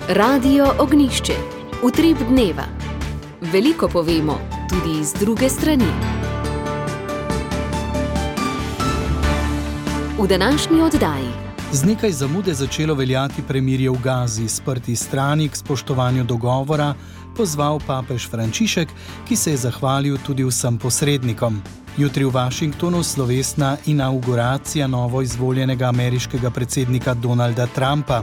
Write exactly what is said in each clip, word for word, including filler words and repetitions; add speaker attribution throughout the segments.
Speaker 1: Radio Ognjišče. Utrip dneva. Veliko povemo, tudi iz druge strani. V današnji oddaji.
Speaker 2: Z nekaj zamude začelo veljati premirje v Gazi, sprti strani k spoštovanju dogovora pozval papež Frančišek, ki se je zahvalil tudi vsem posrednikom. Jutri v Washingtonu slovesna inavguracija novo izvoljenega ameriškega predsednika Donalda Trumpa.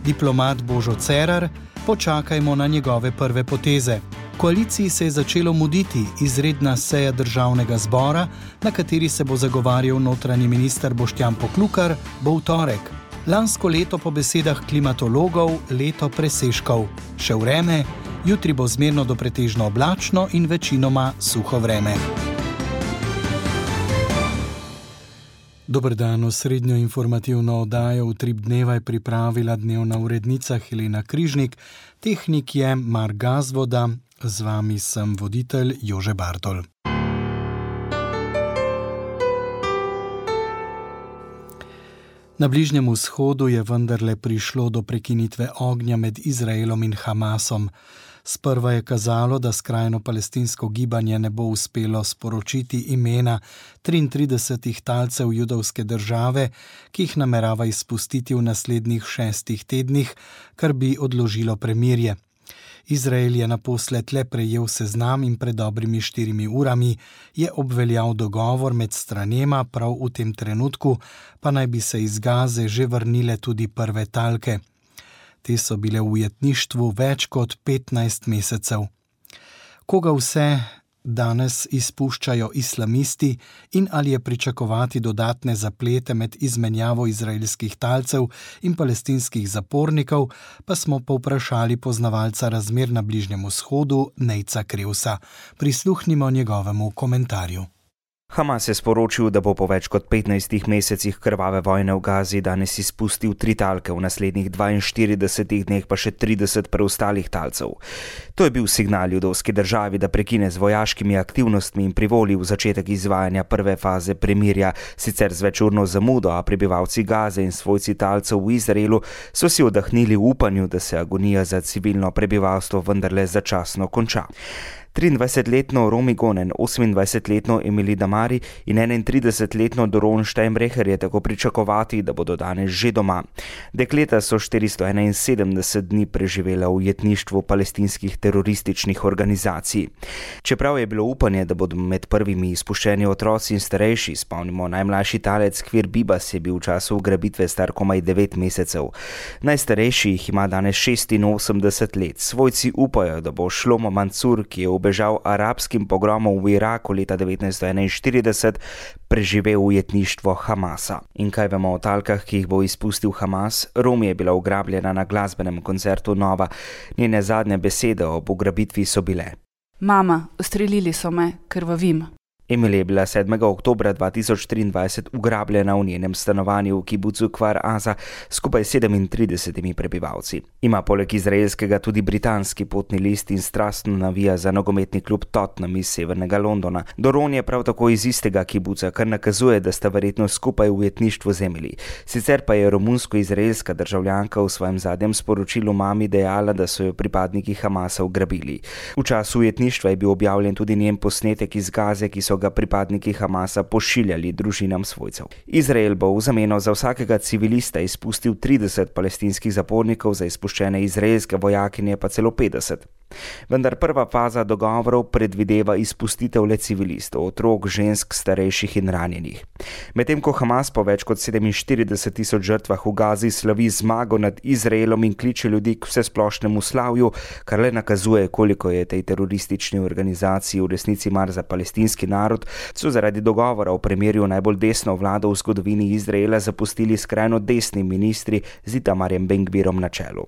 Speaker 2: Diplomat Božo Cerar, počakajmo na njegove prve poteze. Koaliciji se je začelo muditi izredna seja državnega zbora, na kateri se bo zagovarjal notranji minister Boštjan Poklukar, bo v torek. Lansko leto po besedah klimatologov leto presežkov. Še vreme, jutri bo zmerno do pretežno oblačno in večinoma suho vreme. Dober dan, osrednjo informativno oddajo Utrip dneva je pripravila dnevna urednica Helena Križnik, tehnik je Mark Gazvoda, z vami sem voditelj Jože Bartol. Na Bližnjem vzhodu je vendarle prišlo do prekinitve ognja med Izraelom in Hamasom. Sprva je kazalo, da skrajno palestinsko gibanje ne bo uspelo sporočiti imena triintridesetih talcev judovske države, ki jih namerava izpustiti v naslednjih šestih tednih, kar bi odložilo premirje. Izrael je naposled le prejel seznam in pred dobrimi štirimi urami je obveljal dogovor med stranema, prav v tem trenutku pa naj bi se iz Gaze že vrnile tudi prve talke. Te so bile v ujetništvu več kot petnajst mesecev. Koga vse danes izpuščajo islamisti in ali je pričakovati dodatne zaplete med izmenjavo izraelskih talcev in palestinskih zapornikov, pa smo povprašali poznavalca razmer na Bližnjem vzhodu Nejca Krevsa. Prisluhnimo njegovemu komentarju.
Speaker 3: Hamas je sporočil, da bo po več kot petnajstih mesecih krvave vojne v Gazi danes izpustil tri talke, v naslednjih dvainštiridesetih dneh pa še trideset preostalih talcev. To je bil signal judovski državi, da prekine z vojaškimi aktivnostmi in privoli v začetek izvajanja prve faze premirja, sicer z večurno zamudo, a prebivalci Gaze in svojci talcev v Izraelu so si oddahnili v upanju, da se agonija za civilno prebivalstvo vendarle začasno konča. triindvajsetletno Romi Gonen, osemindvajsetletno Emily Damari in enaintridesetletno Doron Steinbrecher je tako pričakovati, da bodo danes že doma. Dekleta so štiristo enainsedemdeset dni preživela v ujetništvu palestinskih terorističnih organizacij. Čeprav je bilo upanje, da bodo med prvimi izpuščeni otroci in starejši, spomnimo, najmlajši talec Kvir Bibas je bil v času ugrabitve star komaj devet mesecev. Najstarejši jih ima danes šestinosemdeset let. Svojci upajo, da bo Shlomo Mansur, ki je v bežal arabskim pogromom v Iraku leta devetnajststo enainštirideset, preživel ujetništvo Hamasa. In kaj vemo o talkah, ki jih bo izpustil Hamas? Romi je bila ugrabljena na glasbenem koncertu Nova. Njene zadnje besede ob ugrabitvi so bile:
Speaker 4: Mama, ustrelili so me, krvavim.
Speaker 3: Emily je bila sedmega oktobra dva tisoč triindvajset ugrabljena v njenem stanovanju v kibucu Kfar Aza skupaj s sedemintridesetimi prebivalci. Ima poleg izraelskega tudi britanski potni list in strastno navija za nogometni klub Tottenham iz severnega Londona. Doron je prav tako iz istega kibuca, kar nakazuje, da sta verjetno skupaj v ujetništvu z Emily. Sicer pa je romunsko-izraelska državljanka v svojem zadnjem sporočilu mami dejala, da so jo pripadniki Hamasa ugrabili. V času ujetništva je bil objavljen tudi njen posnetek iz Gaze, ki so ga pripadniki Hamasa pošiljali družinam svojcev. Izrael bo v zameno za vsakega civilista izpustil trideset palestinskih zapornikov, za izpuščene izraelske vojakinje pa celo petdeset. Vendar prva faza dogovorov predvideva izpustitev le civilistov, otrok, žensk, starejših in ranjenih. Medtem ko Hamas po več kot sedeminštirideset tisoč žrtvah v Gazi slavi zmago nad Izraelom in kliče ljudi k vsesplošnemu slavju, kar le nakazuje, koliko je tej teroristični organizaciji v resnici mar za palestinski narod, so zaradi dogovora o premirju najbolj desno vlado v zgodovini Izraela zapustili skrajno desni ministri z Itamarjem Ben-Gvirom na čelu.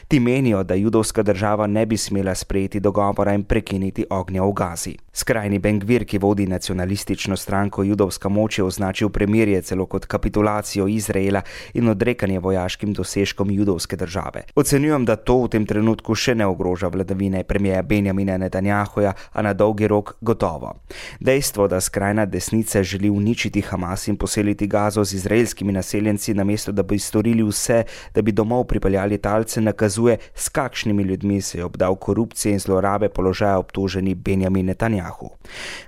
Speaker 3: Ti menijo, da judovska država ne bi smela sprejeti dogovora in prekiniti ognja v Gazi. Skrajni Ben-Gvir, ki vodi nacionalistično stranko Judovska moč, je označil premirje celo kot kapitulacijo Izraela in odrekanje vojaškim dosežkom judovske države. Ocenjujem, da to v tem trenutku še ne ogroža vladavine premierja Benjamina Netanjahuja, a na dolgi rok gotovo. Dejstvo, da skrajna desnica želi uničiti Hamas in poseliti Gazo z izraelskimi naseljenci, namesto da bi storili vse, da bi domov pripeljali talce, nakazuje, s kakšnimi ljudmi se je obdal korupcije in zlorabe položaja obtoženi Benjamin Netanjahu.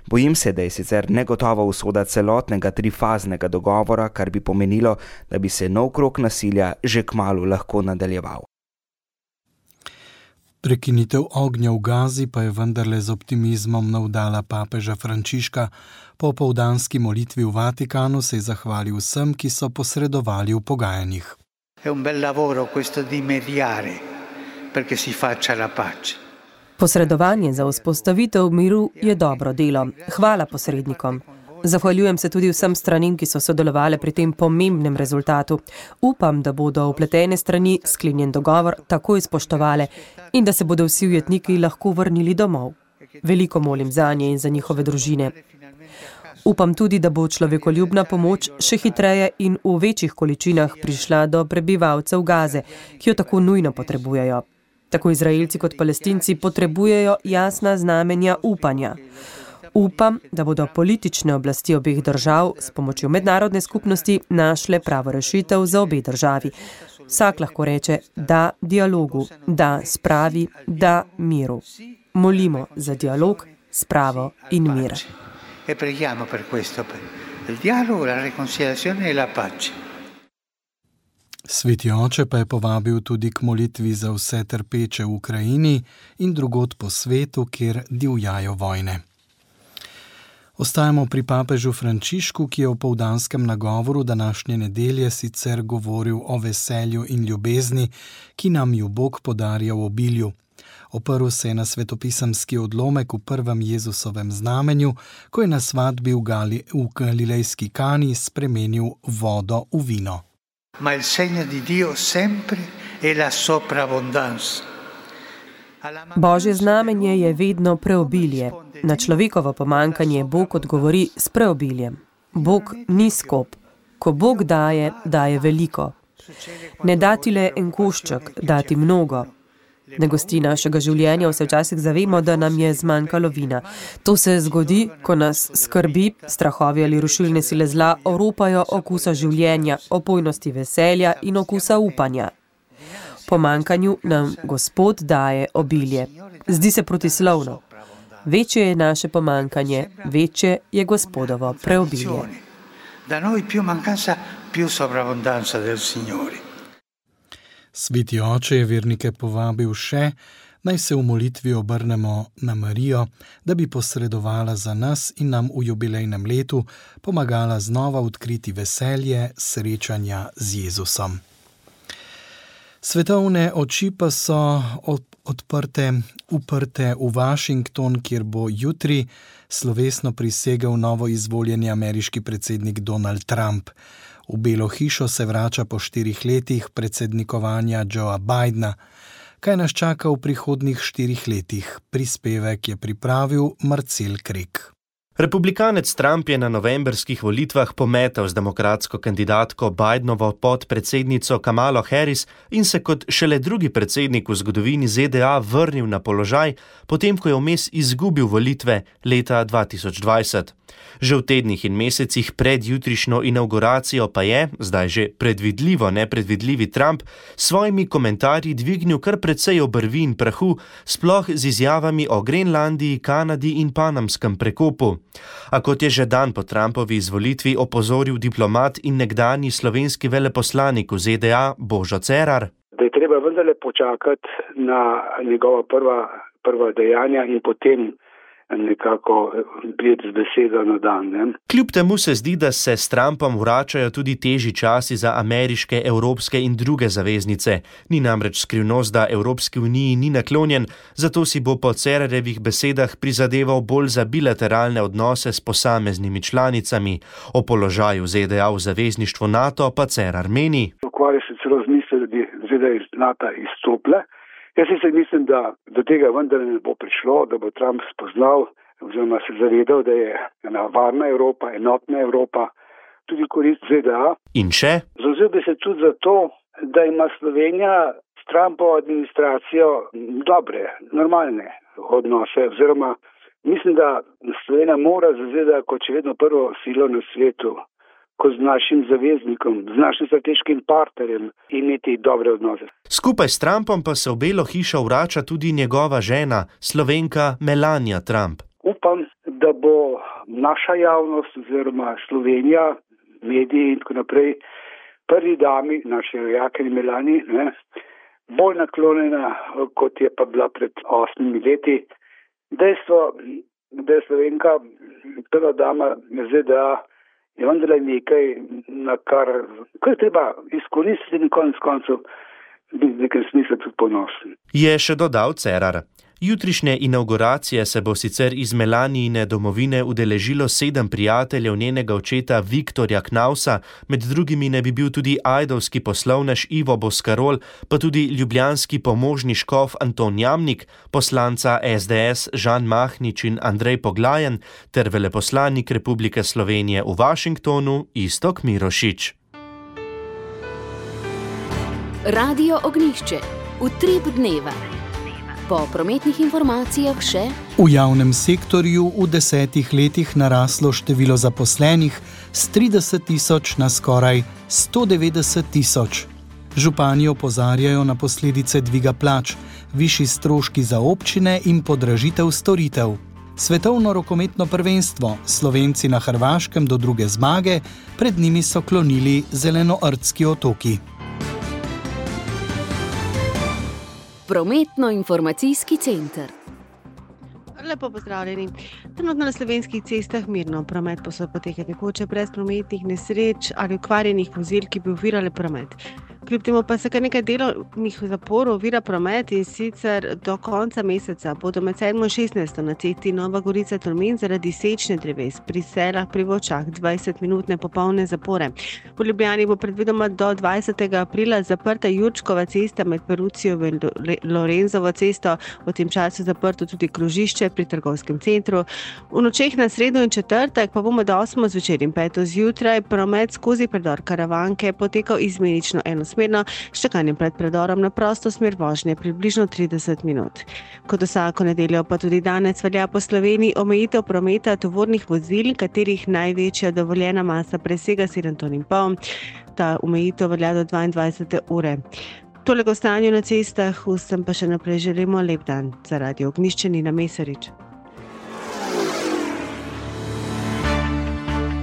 Speaker 3: Bojim se, da je sicer negotova usoda celotnega trifaznega dogovora, kar bi pomenilo, da bi se nov krog nasilja že kmalu lahko nadaljeval.
Speaker 2: Prekinitev ognja v Gazi pa je vendarle z optimizmom navdala papeža Frančiška. Po opoldanski molitvi v Vatikanu se je zahvalil vsem, ki so posredovali v pogajanjih.
Speaker 5: È un bel lavoro questo di mediare perché si faccia la pace.
Speaker 6: Posredovanje za vzpostavitev miru je dobro delo. Hvala posrednikom. Zahvaljujem se tudi vsem stranim, ki so sodelovali pri tem pomembnem rezultatu. Upam, da bodo vpletene strani sklenjen dogovor takoj spoštovale in da se bodo vsi ujetniki lahko vrnili domov. Veliko molim zanje in za njihove družine. Upam tudi, da bo človekoljubna pomoč še hitreje in v večjih količinah prišla do prebivalcev Gaze, ki jo tako nujno potrebujejo. Tako Izraelci kot Palestinci potrebujejo jasna znamenja upanja. Upam, da bodo politične oblasti obeh držav s pomočjo mednarodne skupnosti našle pravo rešitev za obe državi. Vsak lahko reče da dialogu, da spravi, da miru. Molimo za dialog, spravo in mir.
Speaker 5: E preghiamo per questo, per il dialogo, la riconciliazione e la pace.
Speaker 2: Sveti oče pa je povabil tudi k molitvi za vse trpeče v Ukrajini in drugod po svetu, kjer divjajo vojne. Ostajamo pri papežu Frančišku, ki je v opoldanskem nagovoru današnje nedelje sicer govoril o veselju in ljubezni, ki nam ju Bog podarja v obilju. Oprl se je na svetopisemski odlomek v prvem Jezusovem znamenju, ko je na svadbi v, Gali, v galilejski Kani spremenil vodo v vino.
Speaker 5: Ma il segno di Dio sempre è la sovrabbondanza.
Speaker 6: Božje znamenje je vedno preobilje. Na človekovo pomankanje Bog odgovori s preobiljem. Bog ni skop. Ko Bog daje, daje veliko. Ne dati le en košček, dati mnogo. Ne gosti našega življenja, vse včasih zavemo, da nam je zmanjkalo vina. To se zgodi, ko nas skrbi, strahovi ali rušilne sile zla oropajo okusa življenja, opojnosti veselja in okusa upanja. Po manjkanju nam Gospod daje obilje. Zdi se protislovno. Večje je naše pomankanje, večje je Gospodovo preobilje.
Speaker 5: Da noi più mancanza, più sovrabbondanza del Signore.
Speaker 2: Sveti oče je vernike povabil še, naj se v molitvi obrnemo na Marijo, da bi posredovala za nas in nam v jubilejnem letu pomagala znova odkriti veselje srečanja z Jezusom. Svetovne oči pa so odprte, uprte v Washington, kjer bo jutri slovesno prisegel novo izvoljeni ameriški predsednik Donald Trump. V Belo hišo se vrača po štirih letih predsednikovanja Joea Bidena. Kaj nas čaka v prihodnjih štirih letih? Prispevek je pripravil Marcel Krek.
Speaker 7: Republikanec Trump je na novembrskih volitvah pometal z demokratsko kandidatko Bidenovo podpredsednico Kamalo Harris in se kot šele drugi predsednik v zgodovini Z D A vrnil na položaj, potem ko je vmes izgubil volitve leta dva tisoč dvajset. Že v tednih in mesecih pred jutrišnjo inauguracijo pa je, zdaj že predvidljivo nepredvidljivi Trump, s svojimi komentarji dvignil kar precej obrvi in prahu, sploh z izjavami o Grenlandiji, Kanadi in Panamskem prekopu. A kot je že dan po Trumpovi izvolitvi opozoril diplomat in nekdanji slovenski veleposlanik v Z D A Božo Cerar,
Speaker 8: da je treba vendarle počakati na njegova prva, prva dejanja in potem nekako priti z besedo na dan. Ne?
Speaker 7: Kljub temu se zdi, da se s Trumpom vračajo tudi težji časi za ameriške, evropske in druge zaveznice. Ni namreč skrivnost, da Evropski uniji ni naklonjen, zato si bo po Cerarjevih besedah prizadeval bolj za bilateralne odnose s posameznimi članicami. O položaju Z D A v zavezništvu NATO pa Cerar meni.
Speaker 8: Ukvarja se celo z mislijo, da bi Z D A iz NATO izstopile. Jaz se mislim, da do tega vendar ne bo prišlo, da bo Trump spoznal, oziroma se zavedal, da je ena varna Evropa, enotna Evropa, tudi korist Z D A.
Speaker 7: In še?
Speaker 8: Zavzel bi se tudi za to, da ima Slovenija s Trumpovo administracijo dobre, normalne odnose, oziroma mislim, da Slovenija mora za Z D A kot še vedno prvo silo na svetu, ko z našim zaveznikom, z našim strateškim partnerjem imeti dobre odnose.
Speaker 7: Skupaj s Trumpom pa se v Belo hišo vrača tudi njegova žena, Slovenka Melania Trump.
Speaker 8: Upam, da bo naša javnost oziroma Slovenija, mediji in tako naprej, prvi dami, naši rojakinji Melani, ne, bolj naklonjena, kot je pa bila pred osmimi leti. Dejstvo, da je Slovenka prva dama Z D A, je vendarle nekaj, na kar, kar je treba izkoristiti in konec koncev biti v nekem smislu tudi ponosen.
Speaker 7: Je še dodal Cerar. Jutrišnje inauguracije se bo sicer iz Melanijine domovine udeležilo sedem prijateljev njenega očeta Viktorja Knausa, med drugimi ne bi bil tudi ajdovski poslovnež Ivo Boskarol, pa tudi ljubljanski pomožni škof Anton Jamnik, poslanca S D S Žan Mahnič in Andrej Poglajen ter veleposlanik Republike Slovenije v Washingtonu Iztok Mirošič.
Speaker 1: Radio Ognjišče. Utrip dneva. Po prometnih informacijah še:
Speaker 2: v javnem sektorju v desetih letih naraslo število zaposlenih s trideset tisoč na skoraj sto devetdeset tisoč. Župani opozarjajo na posledice dviga plač, višji stroški za občine in podražitev storitev. Svetovno rokometno prvenstvo, Slovenci na Hrvaškem do druge zmage, pred njimi so klonili zelenoardski otoki.
Speaker 1: Prometno-informacijski center.
Speaker 9: Lepo pozdravljeni. Trenutno na slovenskih cestah mirno promet poteka tekoče brez prometnih nesreč ali okvarjenih vozil, ki bi ovirale promet. Kljub temu pa se kar nekaj delovnih zaporov ovira promet, in sicer do konca meseca bodo med sedmo in šestnajsto na cesti Nova Gorica-Tolmin zaradi sečne dreves pri Selah pri Vočah dvajsetminutne popolne zapore. V Ljubljani bo predvidoma do dvajsetega aprila zaprta Jurčkova cesta med Perucijo in Lorenzovo cesto, v tem času zaprto tudi krožišče pri trgovskem centru. V nočeh na sredo in četrtek pa bo med osmo zvečer in peto zjutraj promet skozi predor Karavanke potekal izmenično enosmerno, s čakanjem pred predorom na prosto smer vožnje približno trideset minut. Kot vsako nedeljo pa tudi danes velja po Sloveniji omejitev prometa tovornih vozil, katerih največja dovoljena masa presega sedem ton in pol. Ta omejitev velja do dvaindvajsete ure. Toliko o stanju na cestah, vsem pa še naprej želimo lep dan. Za Radio Ognjišče Nina Mesarič.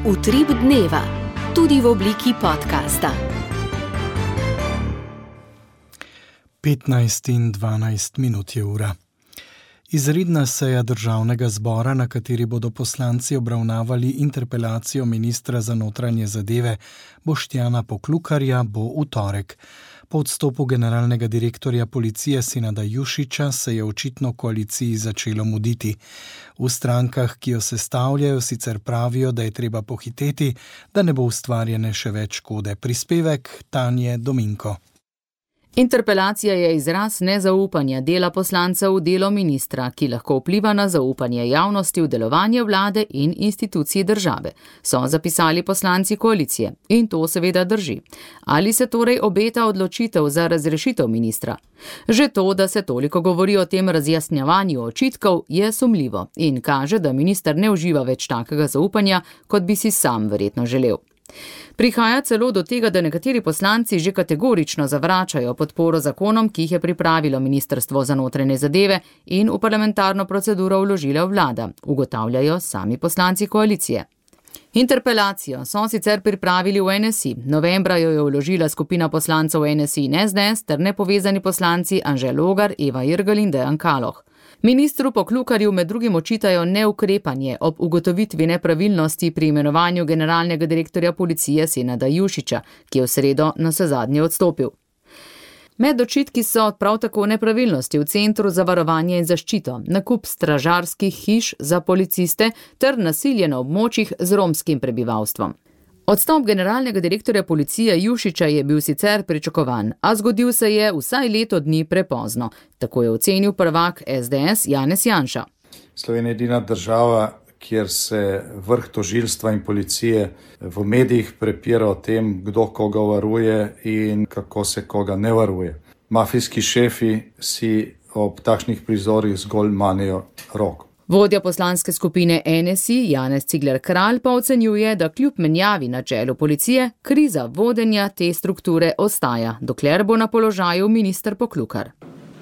Speaker 1: Utrip dneva, tudi v obliki podcasta.
Speaker 2: petnajst in dvanajst minut je ura. Izredna seja državnega zbora, na kateri bodo poslanci obravnavali interpelacijo ministra za notranje zadeve Boštjana Poklukarja, bo v torek. Po odstopu generalnega direktorja policije Senada Jušića se je očitno koaliciji začelo muditi. V strankah, ki jo sestavljajo, sicer pravijo, da je treba pohiteti, da ne bo ustvarjene še več škode. Prispevek Tanje Dominko.
Speaker 10: Interpelacija je izraz nezaupanja dela poslancev v delo ministra, ki lahko vpliva na zaupanje javnosti v delovanje vlade in institucij države, so zapisali poslanci koalicije. In to seveda drži. Ali se torej obeta odločitev za razrešitev ministra? Že to, da se toliko govori o tem razjasnjevanju očitkov, je sumljivo in kaže, da minister ne uživa več takega zaupanja, kot bi si sam verjetno želel. Prihaja celo do tega, da nekateri poslanci že kategorično zavračajo podporo zakonom, ki jih je pripravilo Ministrstvo za notranje zadeve in v parlamentarno proceduro vložila vlada, ugotavljajo sami poslanci koalicije. Interpelacijo so sicer pripravili v N S I. Novembra jo je vložila skupina poslancev N S I in S D S ter nepovezani poslanci Anže Logar, Eva Irgl in Dejan Kaloh. Ministru Poklukarju med drugim očitajo neukrepanje ob ugotovitvi nepravilnosti pri imenovanju generalnega direktorja policije Senada Jušića, ki je v sredo navsezadnje odstopil. Med očitki so prav tako nepravilnosti v Centru za varovanje in zaščito, nakup stražarskih hiš za policiste ter nasilje na območjih z romskim prebivalstvom. Odstop generalnega direktorja policije Jušića je bil sicer pričakovan, a zgodil se je vsaj leto dni prepozno, tako je ocenil prvak S D S Janez Janša.
Speaker 11: Slovenija je edina država, kjer se vrh tožilstva in policije v medijih prepira o tem, kdo koga varuje in kako se koga ne varuje. Mafijski šefi si ob takšnih prizorih zgolj manejo roko.
Speaker 10: Vodja poslanske skupine N S I Janez Cigler Kralj pa ocenjuje, da kljub menjavi na čelu policije, kriza vodenja te strukture ostaja, dokler bo na položaju minister Poklukar.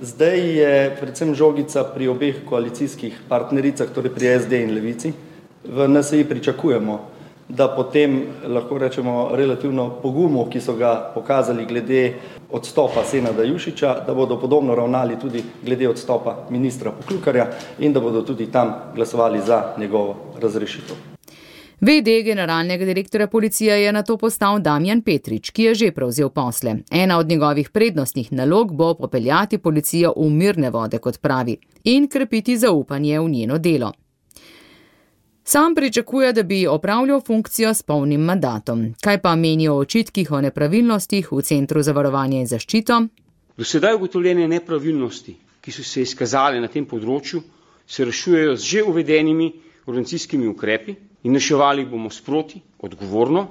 Speaker 12: Zdaj je predvsem žogica pri obeh koalicijskih partnericah, torej pri S D in Levici. V N S I pričakujemo, da potem lahko rečemo relativno pogumu, ki so ga pokazali glede odstopa Senada Jušića, da bodo podobno ravnali tudi glede odstopa ministra Poklukarja in da bodo tudi tam glasovali za njegovo razrešitev.
Speaker 10: V D generalnega direktorja policije je nato postal Damjan Petrič, ki je že prevzel posle. Ena od njegovih prednostnih nalog bo popeljati policijo v mirne vode, kot pravi, in krepiti zaupanje v njeno delo. Sam pričakuje, da bi opravljal funkcijo s polnim mandatom. Kaj pa menijo o očitkih o nepravilnostih v Centru za varovanje in zaščito?
Speaker 13: Do sedaj ugotovljene nepravilnosti, ki so se izkazale na tem področju, se rešujejo z že uvedenimi organizacijskimi ukrepi in reševali bomo sproti, odgovorno,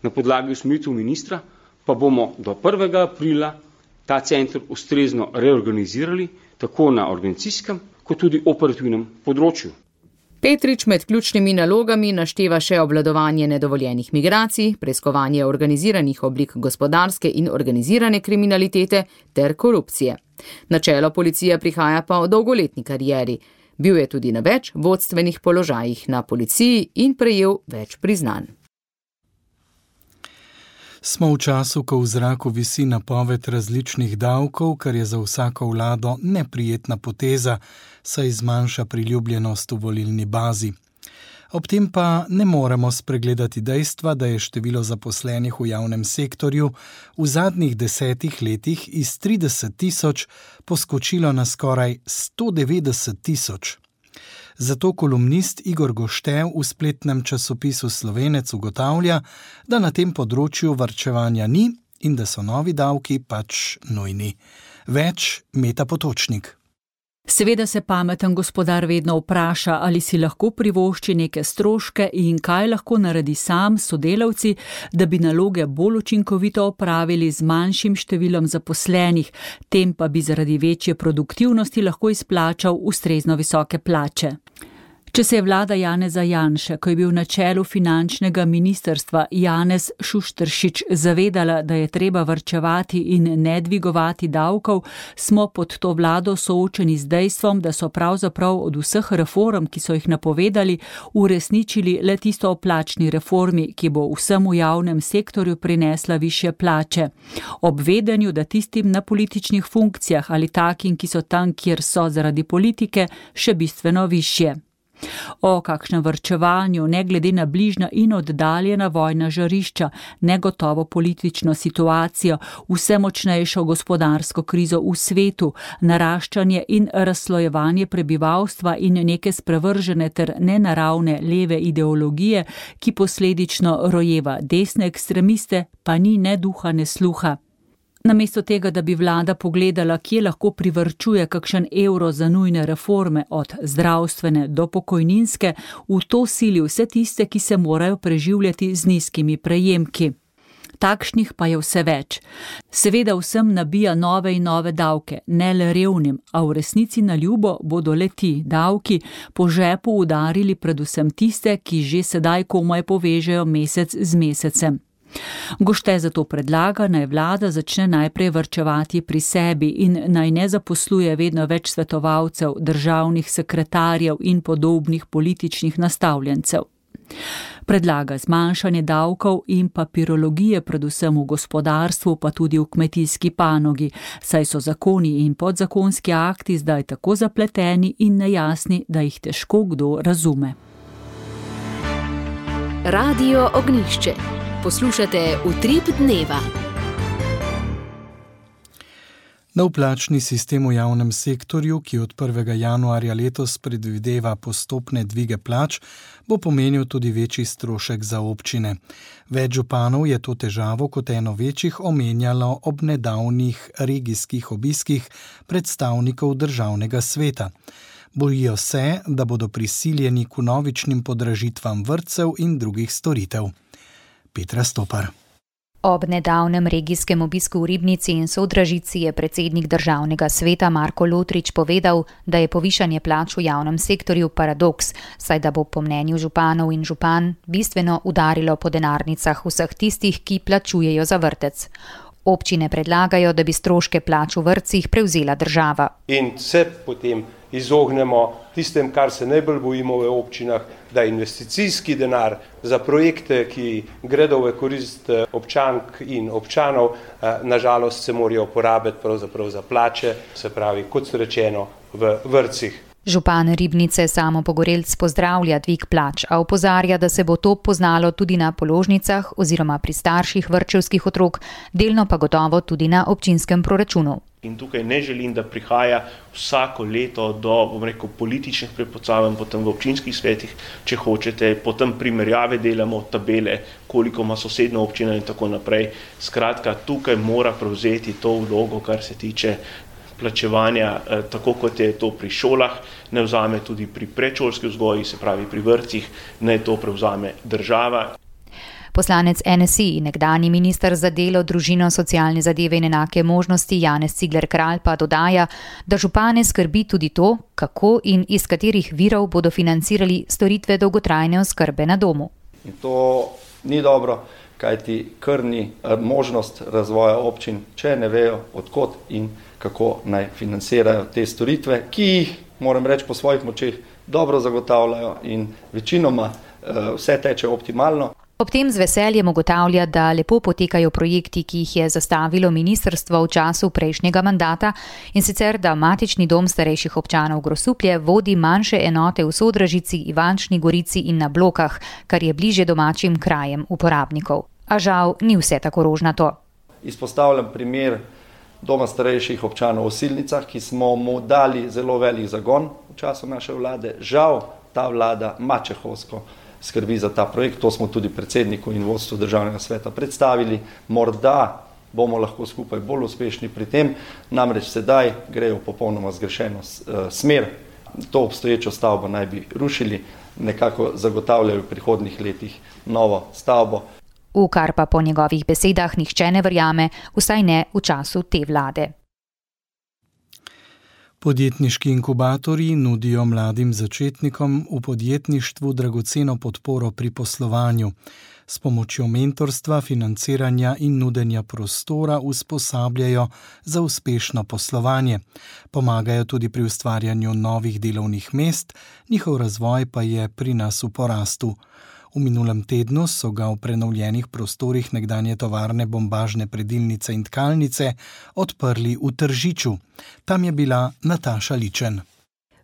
Speaker 13: na podlagi usmeritev ministra, pa bomo do prvega aprila ta center ustrezno reorganizirali, tako na organizacijskem, kot tudi operativnem področju.
Speaker 10: Petrič med ključnimi nalogami našteva še obvladovanje nedovoljenih migracij, preiskovanje organiziranih oblik gospodarske in organizirane kriminalitete ter korupcije. Na čelo policije prihaja pa v dolgoletni karieri. Bil je tudi na več vodstvenih položajih na policiji in prejel več priznanj.
Speaker 2: Smo v času, ko v zraku visi napoved različnih davkov, kar je za vsako vlado neprijetna poteza, saj zmanjša priljubljenost v volilni bazi. Ob tem pa ne moremo spregledati dejstva, da je število zaposlenih v javnem sektorju v zadnjih desetih letih iz trideset tisoč poskočilo na skoraj sto devetdeset tisoč. Zato kolumnist Igor Goštev v spletnem časopisu Slovenec ugotavlja, da na tem področju varčevanja ni in da so novi davki pač nujni. Več Meta Potočnik.
Speaker 14: Seveda se pameten gospodar vedno vpraša, ali si lahko privošči neke stroške in kaj lahko naredi sam s sodelavci, da bi naloge bolj učinkovito opravili z manjšim številom zaposlenih, tem pa bi zaradi večje produktivnosti lahko izplačal ustrezno visoke plače. Če se je vlada Janeza Janše, ko je bil na čelu finančnega ministrstva Janez Šušteršič zavedala, da je treba varčevati in ne dvigovati davkov, smo pod to vlado soočeni z dejstvom, da so pravzaprav od vseh reform, ki so jih napovedali, uresničili le tisto o plačni reformi, ki bo vsem v javnem sektorju prinesla višje plače. Ob vedenju, da tistim na političnih funkcijah ali takim, ki so tam, kjer so zaradi politike, še bistveno višje. O kakšnem varčevanju, ne glede na bližnja in oddaljena vojna žarišča, negotovo politično situacijo, vse močnejšo gospodarsko krizo v svetu, naraščanje in razslojevanje prebivalstva in neke sprevržene ter nenaravne leve ideologije, ki posledično rojeva desne ekstremiste, pa ni ne duha, ne sluha. Namesto tega, da bi vlada pogledala, kje lahko privarčuje kakšen evro za nujne reforme, od zdravstvene do pokojninske, v to sili vse tiste, ki se morajo preživljati z nizkimi prejemki. Takšnih pa je vse več. Seveda vsem nabija nove in nove davke, ne le revnim, a v resnici na ljubo bodo le ti davki po žepu udarili predvsem tiste, ki že sedaj komaj povežejo mesec z mesecem. Gošte zato predlaga, naj vlada začne najprej varčevati pri sebi in naj ne zaposluje vedno več svetovalcev, državnih sekretarjev in podobnih političnih nastavljencev. Predlaga zmanjšanje davkov in papirologije predvsem v gospodarstvu, pa tudi v kmetijski panogi, saj so zakoni in podzakonski akti zdaj tako zapleteni in nejasni, da jih težko kdo razume.
Speaker 1: Radio Ognjišče. Poslušate Utrip dneva.
Speaker 2: Nov plačni sistem v javnem sektorju, ki od prvega januarja letos predvideva postopne dvige plač, bo pomenil tudi večji strošek za občine. Več županov je to težavo kot eno večjih omenjalo ob nedavnih regijskih obiskih predstavnikov državnega sveta. Bojijo se, da bodo prisiljeni k vnovičnim podražitvam vrtcev in drugih storitev. Petra Stopar.
Speaker 15: Ob nedavnem regijskem obisku v Ribnici in Sodražici je predsednik državnega sveta Marko Lotrič povedal, da je povišanje plač v javnem sektorju paradoks, saj da bo po mnenju županov in župan bistveno udarilo po denarnicah vseh tistih, ki plačujejo za vrtec. Občine predlagajo, da bi stroške plač v vrtcih prevzela država.
Speaker 16: In se potem izognemo tistem, kar se najbolj bojimo v občinah, da investicijski denar za projekte, ki gredo v korist občank in občanov, nažalost se morajo porabiti pravzaprav za plače, se pravi, kot rečeno, v vrtcih.
Speaker 15: Župan Ribnice Samo Pogorelc pozdravlja dvig plač, a opozarja, da se bo to poznalo tudi na položnicah oziroma pri starših vrtčevskih otrok, delno pa gotovo tudi na občinskem proračunu.
Speaker 17: In tukaj ne želim, da prihaja vsako leto do, bom rekel, političnih prepucavanj potem v občinskih svetih, če hočete, potem primerjave delamo, tabele, koliko ima sosednja občina in tako naprej. Skratka, tukaj mora prevzeti to vlogo, kar se tiče plačevanja, tako kot je to pri šolah, ne vzame tudi pri predšolski vzgoji, se pravi pri vrtcih, ne to prevzame država.
Speaker 15: Poslanec N S I in nekdanji minister za delo, družino, socialne zadeve in enake možnosti Janez Cigler Kralj pa dodaja, da župane skrbi tudi to, kako in iz katerih virov bodo financirali storitve dolgotrajne oskrbe na domu.
Speaker 12: In to ni dobro, kajti krni možnost razvoja občin, če ne vejo odkot in kako naj financirajo te storitve, ki jih, moram reči, po svojih močeh dobro zagotavljajo in večinoma vse teče optimalno.
Speaker 15: Ob tem z veseljem ugotavlja, da lepo potekajo projekti, ki jih je zastavilo ministrstvo v času prejšnjega mandata, in sicer, da matični dom starejših občanov Grosuplje vodi manjše enote v Sodražici, Ivančni Gorici in na Blokah, kar je bliže domačim krajem uporabnikov. A žal ni vse tako rožnato.
Speaker 12: Izpostavljam primer doma starejših občanov v Osilnicah, ki smo mu dali zelo velik zagon v času naše vlade. Žal ta vlada mačehovsko skrbi za ta projekt, to smo tudi predsedniku in vodstvu državnega sveta predstavili. Morda bomo lahko skupaj bolj uspešni pri tem, namreč sedaj grejo v popolnoma zgrešeno smer. To obstoječo stavbo naj bi rušili, nekako zagotavljajo v prihodnjih letih novo stavbo.
Speaker 15: V kar pa po njegovih besedah nihče ne verjame, vsaj ne v času te vlade.
Speaker 2: Podjetniški inkubatorji nudijo mladim začetnikom v podjetništvu dragoceno podporo pri poslovanju. S pomočjo mentorstva, financiranja in nudenja prostora usposabljajo za uspešno poslovanje. Pomagajo tudi pri ustvarjanju novih delovnih mest, njihov razvoj pa je pri nas v porastu. V minulem tednu so ga v prenovljenih prostorih nekdanje tovarne bombažne predilnice in tkalnice odprli v Tržiču. Tam je bila Nataša Ličen.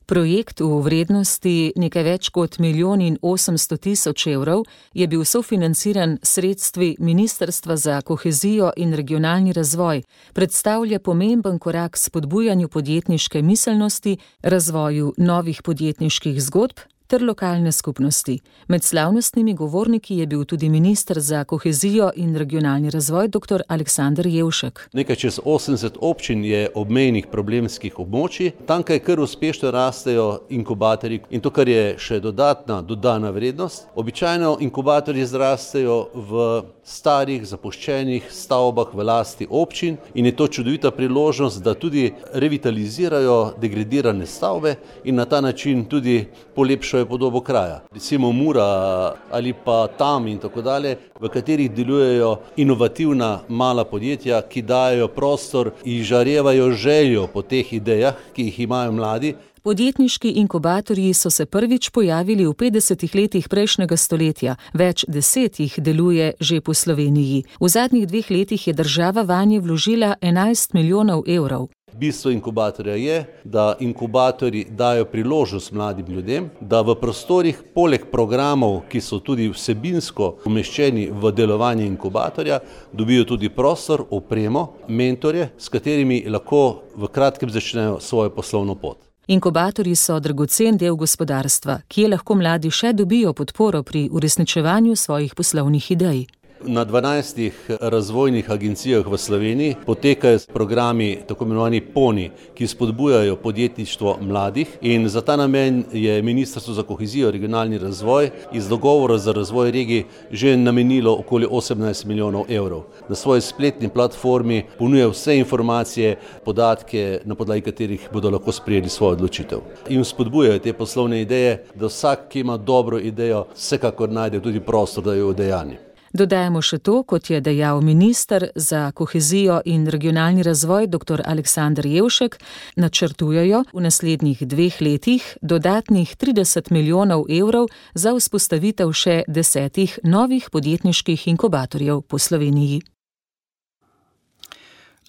Speaker 18: Projekt v vrednosti nekaj več kot milijon in osemsto tisoč evrov je bil sofinanciran sredstvi Ministrstva za kohezijo in regionalni razvoj, predstavlja pomemben korak spodbujanju podjetniške miselnosti, razvoju novih podjetniških zgodb ter lokalne skupnosti. Med slavnostnimi govorniki je bil tudi minister za kohezijo in regionalni razvoj dr. Aleksander Jevšek.
Speaker 19: Nekaj čez osemdeset občin je obmejnih problemskih območij, tamkaj kar uspešno rastejo inkubatorji in to, kar je še dodatna dodana vrednost. Običajno inkubatorji zrastejo v starih, zapuščenih stavbah v lasti občin in je to čudovita priložnost, da tudi revitalizirajo degradirane stavbe in na ta način tudi polepšajo podobo kraja. Recimo Mura ali pa Tam in tako dalje, v katerih delujejo inovativna mala podjetja, ki dajo prostor in žarevajo željo po teh idejah, ki jih imajo mladi.
Speaker 18: Podjetniški inkubatorji so se prvič pojavili v petdesetih letih prejšnjega stoletja, več deset jih deluje že po Sloveniji. V zadnjih dveh letih je država vanje vložila enajst milijonov evrov.
Speaker 19: Bistvo inkubatorja je, da inkubatorji dajo priložnost mladim ljudem, da v prostorih poleg programov, ki so tudi vsebinsko umeščeni v delovanje inkubatorja, dobijo tudi prostor, opremo, mentorje, s katerimi lahko v kratkem začnejo svojo poslovno pot.
Speaker 18: Inkubatorji so dragocen del gospodarstva, kjer lahko mladi še dobijo podporo pri uresničevanju svojih poslovnih idej.
Speaker 19: Na dvanajstih razvojnih agencijah v Sloveniji potekajo programi tako imenovani PONI, ki spodbujajo podjetništvo mladih, in za ta namen je Ministrstvo za kohezijo in regionalni razvoj iz dogovora za razvoj regij že namenilo okoli osemnajst milijonov evrov. Na svoji spletni platformi ponuja vse informacije, podatke, na podlagi katerih bodo lahko sprejeli svojo odločitev. In spodbujajo te poslovne ideje, da vsak, ki ima dobro idejo, vsekakor najde tudi prostor, da jo udejanji.
Speaker 18: Dodajamo še to, kot je dejal minister za kohezijo in regionalni razvoj dr. Aleksander Jevšek, načrtujejo v naslednjih dveh letih dodatnih trideset milijonov evrov za vzpostavitev še desetih novih podjetniških inkubatorjev po Sloveniji.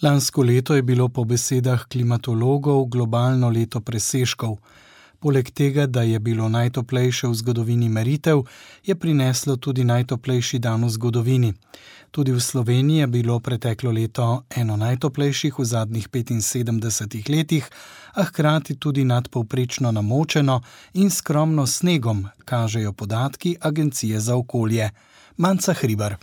Speaker 2: Lansko leto je bilo po besedah klimatologov globalno leto presežkov. Poleg tega, da je bilo najtoplejše v zgodovini meritev, je prineslo tudi najtoplejši dan v zgodovini. Tudi v Sloveniji je bilo preteklo leto eno najtoplejših v zadnjih petinsedemdesetih letih, a hkrati tudi nadpovprečno namočeno in skromno snegom, kažejo podatki Agencije za okolje. Manca Hribar.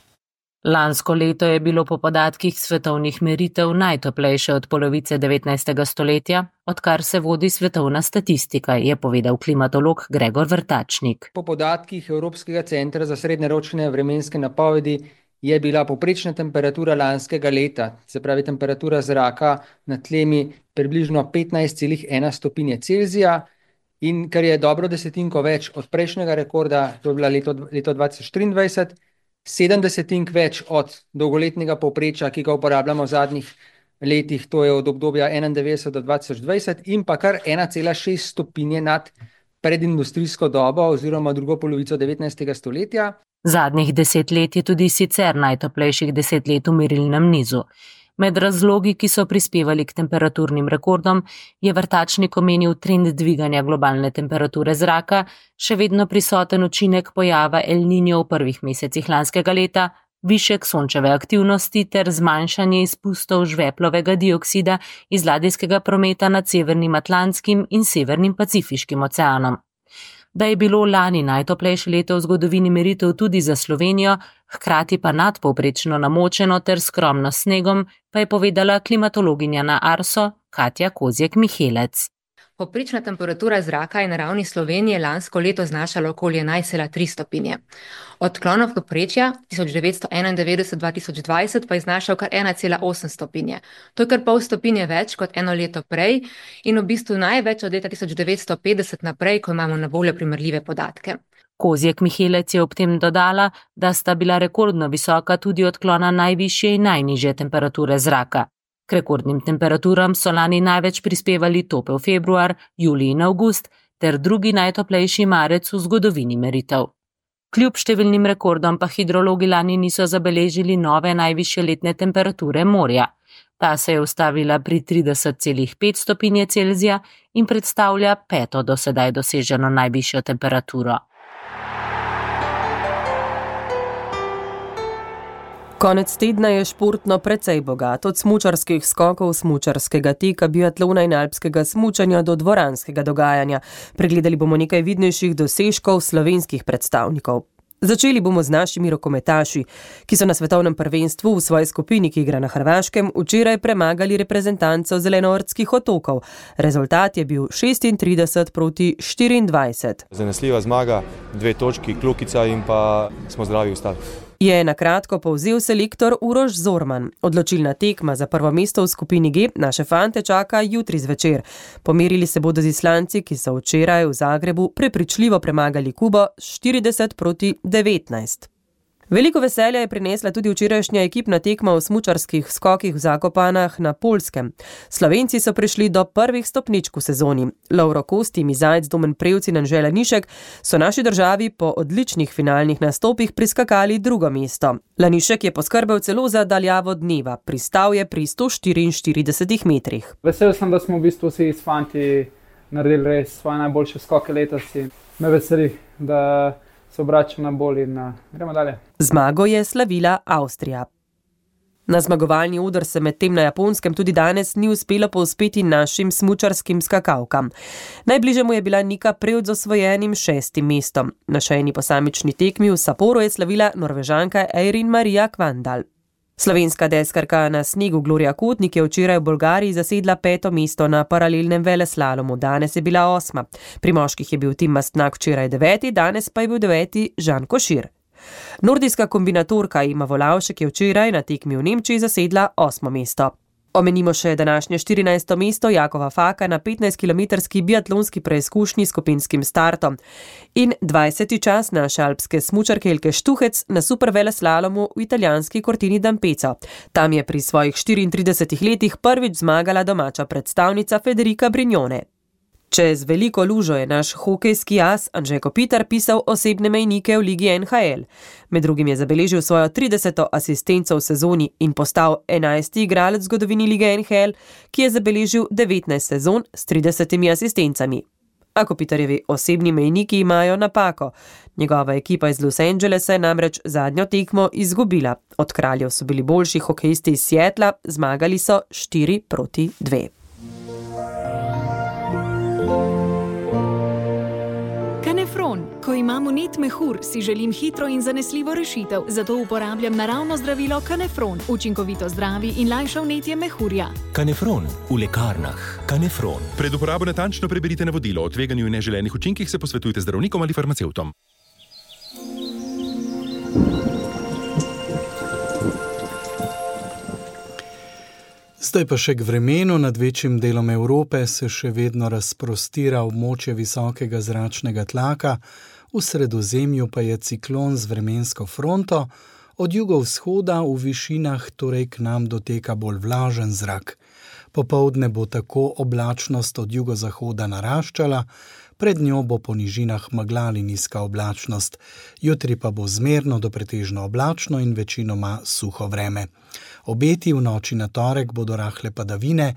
Speaker 20: Lansko leto je bilo po podatkih svetovnih meritev najtoplejše od polovice devetnajstega stoletja, odkar se vodi svetovna statistika, je povedal klimatolog Gregor Vrtačnik.
Speaker 21: Po podatkih Evropskega centra za srednjeročne vremenske napovedi je bila povprečna temperatura lanskega leta, se pravi temperatura zraka na tlemi približno petnajst celih ena stopinje Celzija, in kar je dobro desetinko več od prejšnjega rekorda, to je bila leto, leto dva tisoč triindvajset, sedem desetink več od dolgoletnega povprečja, ki ga uporabljamo v zadnjih letih, to je od obdobja enaindevetdeset do dva tisoč dvajset, in pa kar ena cela šest stopinje nad predindustrijsko dobo oziroma drugo polovico devetnajstega stoletja.
Speaker 20: Zadnjih deset let je tudi sicer najtoplejših deset let v merilnem nizu. Med razlogi, ki so prispevali k temperaturnim rekordom, je Vrtačnik omenil trend dviganja globalne temperature zraka, še vedno prisoten učinek pojava El Niño v prvih mesecih lanskega leta, višek sončeve aktivnosti ter zmanjšanje izpustov žveplovega dioksida iz ladijskega prometa nad Severnim Atlantskim in Severnim Pacifiškim oceanom. Da je bilo lani najtoplejše leto v zgodovini meritev tudi za Slovenijo, hkrati pa nadpovprečno namočeno ter skromno snegom, pa je povedala klimatologinja na Arso Katja Kozjek-Mihelec.
Speaker 22: Povprečna temperatura zraka je na ravni Slovenije lansko leto znašala okoli enajst cela tri stopinje. Odklon od povprečja tisoč devetsto enaindevetdeset do dva tisoč dvajset pa je znašal kar ena cela osem stopinje. To je kar pol stopinje več kot eno leto prej in v bistvu največ od leta tisoč devetsto petdeset naprej, ko imamo na voljo primerljive podatke.
Speaker 20: Kozjek-Mihelec je ob tem dodala, da sta bila rekordno visoka tudi odklona najvišje in najnižje temperature zraka. K rekordnim temperaturam so lani največ prispevali topel februar, julij in avgust ter drugi najtoplejši marec v zgodovini meritev. Kljub številnim rekordom pa hidrologi lani niso zabeležili nove najvišje letne temperature morja. Ta se je ustavila pri trideset celih pet stopinje Celzija in predstavlja peto do sedaj doseženo najvišjo temperaturo.
Speaker 6: Konec tedna je športno precej bogat, od smučarskih skokov, smučarskega teka, biatlona in alpskega smučanja do dvoranskega dogajanja. Pregledali bomo nekaj vidnejših dosežkov slovenskih predstavnikov. Začeli bomo z našimi rokometaši, ki so na svetovnem prvenstvu v svoji skupini, ki igra na Hrvaškem, včeraj premagali reprezentanco Zelenortskih otokov. Rezultat je bil šestintrideset proti štiriindvajset.
Speaker 23: Zanesljiva zmaga, dve točki, kljukica in pa smo zdravi ostali.
Speaker 6: Je na kratko povzel selektor Uroš Zorman. Odločilna tekma za prvo mesto v skupini G naše fante čaka jutri zvečer. Pomerili se bodo z Islanci, ki so včeraj v Zagrebu prepričljivo premagali Kubo štirideset proti devetnajst. Veliko veselja je prinesla tudi včerajšnja ekipna tekma v smučarskih skokih v Zakopanah na Poljskem. Slovenci so prišli do prvih stopničk v sezoni. Lovro Kost, Timi Zajc, Domen Prevc in Anže Lanišek so naši državi po odličnih finalnih nastopih priskakali drugo mesto. Lanišek je poskrbel celo za daljavo dneva. Pristal je pri sto štiriinštiridesetih metrih.
Speaker 24: Vesel sem, da smo v bistvu vsi s fanti naredili res svoje najboljše skoke letos in me veseli, da se obračam na bolj in na... gremo dalje.
Speaker 6: Zmago je slavila Avstrija. Na zmagovalni oder se medtem na Japonskem tudi danes ni uspelo povzpeti našim smučarskim skakavkam. Najbližje mu je bila Nika Prevc z osvojenim šestim mestom. Na še eni posamični tekmi v Sapporu je slavila Norvežanka Eirin Maria Kvandal. Slovenska deskarka na snegu Gloria Kotnik je včeraj v Bolgariji zasedla peto mesto na paralelnem veleslalomu, danes je bila osma. Pri moških je bil Tim Mastnak včeraj deveti, danes pa je bil deveti Žan Košir. Nordijska kombinatorka Ima Volavšek je včeraj na tekmi v Nemčiji zasedla osmo mesto. Omenimo še današnje štirinajsto mesto Jakova Faka na petnajstkilometrski biatlonski preizkušnji s skupinskim startom in dvajseti čas naše alpske smučarke Elke Štuhec na superveleslalomu v italijanski Cortini d'Ampezzo. Tam je pri svojih štiriintridesetih letih prvič zmagala domača predstavnica Federica Brignone. Čez veliko lužo je naš hokejski as Anže Kopitar pisal osebne mejnike v ligi N H L. Med drugim je zabeležil svojo trideseto asistenco v sezoni in postal enajsti igralec v zgodovini lige N H L, ki je zabeležil devetnajst sezon s tridesetimi asistencami. A Kopitarjevi osebni mejniki imajo napako. Njegova ekipa iz Los Angelesa je namreč zadnjo tekmo izgubila. Od Kraljev so bili boljši hokejisti iz Seattla, zmagali so štiri proti dve.
Speaker 3: Kanefron. Ko imam vnet mehur, si želim hitro in zanesljivo rešitev, zato uporabljam naravno zdravilo Kanefron. Učinkovito zdravi in lajša vnetje mehurja.
Speaker 4: Kanefron v lekarnah. Kanefron.
Speaker 5: Pred uporabo natančno preberite navodilo. O tveganju in neželenih učinkih se posvetujte z zdravnikom ali farmacevtom.
Speaker 2: Zdaj pa še k vremenu. Nad večjim delom Evrope se še vedno razprostira območje visokega zračnega tlaka, v Sredozemlju pa je ciklon z vremensko fronto, od jugovzhoda v višinah torej k nam doteka bolj vlažen zrak. Popoldne bo tako oblačnost od jugozahoda naraščala, pred njo bo po nižinah megla ali nizka oblačnost. Jutri pa bo zmerno do pretežno oblačno in večinoma suho vreme. Obeti v noči na torek bodo rahle padavine,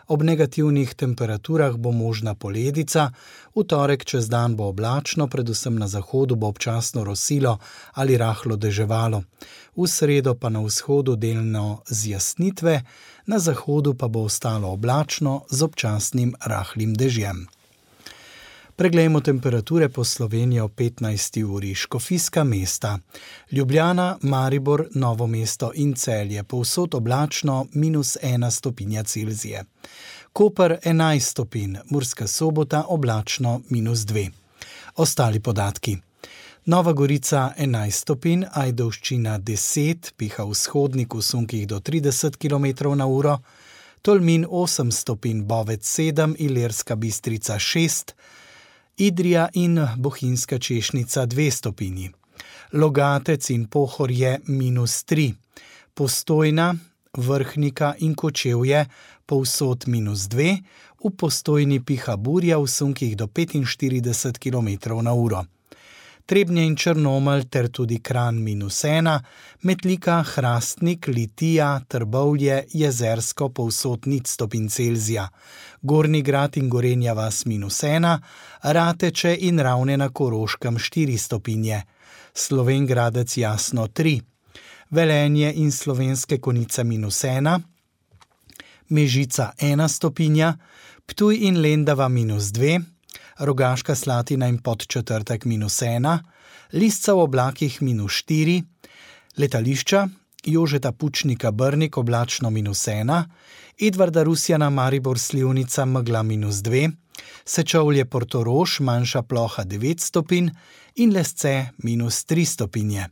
Speaker 2: ob negativnih temperaturah bo možna poledica, v torek čez dan bo oblačno, predvsem na zahodu bo občasno rosilo ali rahlo deževalo. V sredo pa na vzhodu delno zjasnitve, na zahodu pa bo ostalo oblačno z občasnim rahlim dežjem. Preglejmo temperature po Sloveniji o petnajsti uri. Škofijska mesta. Ljubljana, Maribor, Novo mesto in Celje. Povsod oblačno minus ena stopinja Celzije. Koper enajst stopinj, Murska Sobota oblačno minus dve. Ostali podatki. Nova Gorica enajst stopinj, Ajdovščina deset, piha vzhodnik v sunkih do trideset kilometrov na uro, Tolmin osem stopinj, Bovec sedem, Ilirska Bistrica šest, Idrija in Bohinjska Češnica dve stopinji. Logatec in Pohorje minus tri. Postojna, Vrhnika in Kočevje povsod minus dve, v Postojni piha burja v sunkih do petinštirideset kilometrov na uro. Trebnje in Črnomelj ter tudi Kranj minus ena, Metlika, Hrastnik, Litija, Trbovlje, Jezersko povsod nič stopinj Celzija. Gornji Grad in Gorenja vas minus ena, Rateče in Ravne na Koroškem štiri stopinje. Slovenj Gradec Jasno tri, Velenje in Slovenske Konjice minus ena, Mežica ena stopinja, Ptuj in Lendava minus dve, Rogaška Slatina in Podčetrtek minus ena, Lisca v oblakih minus štiri, letališča Jožeta Pučnika Brnik oblačno minus ena, Edvarda Rusjana Maribor Slivnica megla minus dve, Sečovlje Portorož manjša ploha devet stopinj in Lesce minus tri stopinje.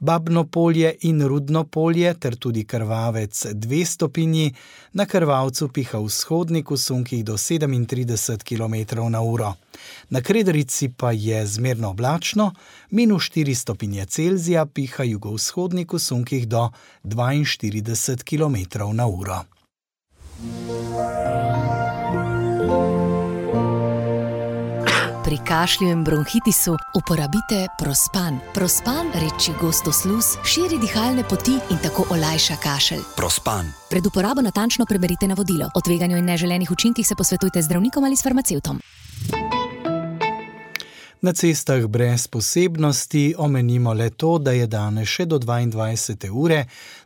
Speaker 2: Babno polje in Rudno polje ter tudi Krvavec dve stopinji, na Krvavcu piha vzhodnik v sunkih do sedemintrideset kilometrov na uro. Na Krederici pa je zmerno oblačno, minus štiri stopinje Celzija, piha jugovzhodnik v sunkih do dvainštirideset kilometrov na uro.
Speaker 8: Pri kašlju in bronhitisu uporabite Prospan. Prospan reči gosto sluz, širi dihalne poti in tako olajša kašelj.
Speaker 4: Prospan.
Speaker 8: Pred uporabo natančno preberite navodilo. O tveganju in neželenih učinkih se posvetujte z zdravnikom ali s farmacevtom.
Speaker 2: Na cestah brez posebnosti omenimo le to, da je danes še do dvaindvajsete ure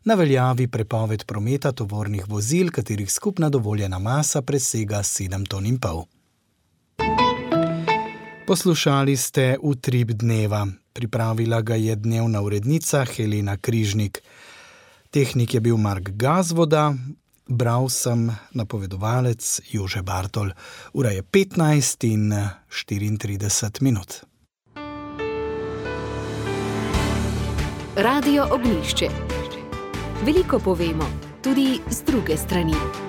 Speaker 2: na veljavi prepoved prometa tovornih vozil, katerih skupna dovoljena masa presega sedem ton in pol. Poslušali ste Utrip dneva. Pripravila ga je dnevna urednica Helena Križnik. Tehnik je bil Mark Gazvoda, bral sem napovedovalec Jože Bartol. Ura je petnajst in štiriintrideset minut.
Speaker 1: Radio Ognjišče. Veliko povemo, tudi z druge strani.